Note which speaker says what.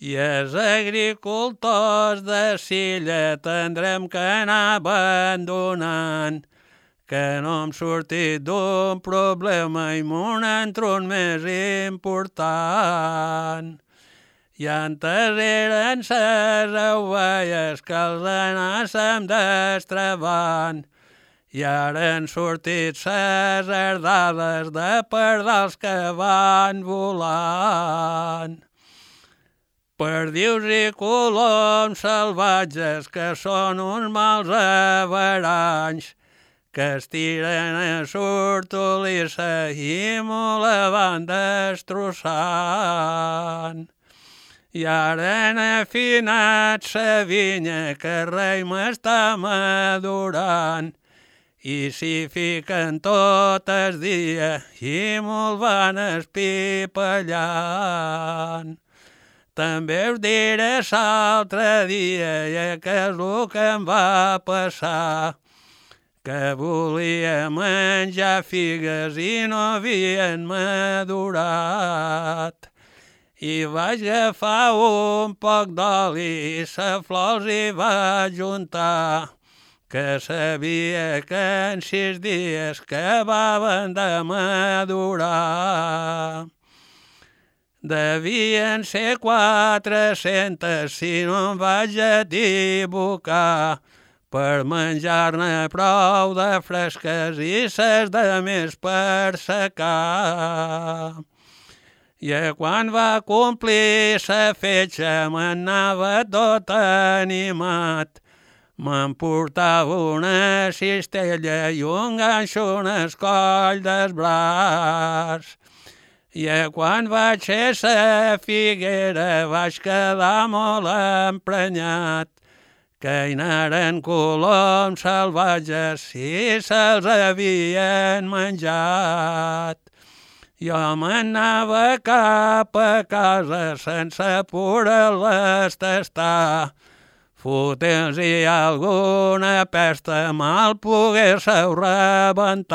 Speaker 1: I els agricultors de Silla tindrem que anar abandonant, que no hem sortit d'un problema i m'un entro un més important. I antes eren ses ovelles que els anàssim destrabant, i ara han sortit ses herdades de pardals que van volant. Perdius i coloms salvatges que són uns mals averanys, que es tiren a l'hortolissa i m'ho la van destrossant. I ara han afinat sa vinya que el rei m'està madurant, i s'hi fiquen tot el dia i m'ho van espipallant. També us diré l'altre dia que és el que em va passar, que volia menjar figues i no havien madurat. I vaig agafar un poc d'oli i sa flors hi vaig juntar, que sabia que en 6 dies acabaven de madurar. Devien ser 400 si no em vaig equivocar, per menjar-ne prou de fresques i ses de més per secar. I quan va complir sa fetge m'anava tot animat, m'emportava una cistella i un ganxo en el coll del braç. I quan vaig ser sa figuera vaig quedar molt emprenyat, que hi anaren coloms salvatges i se'ls havien menjat. Jo m'anava cap a casa sense poder-les tastar, fotent si alguna pesta mal pogués rebentar.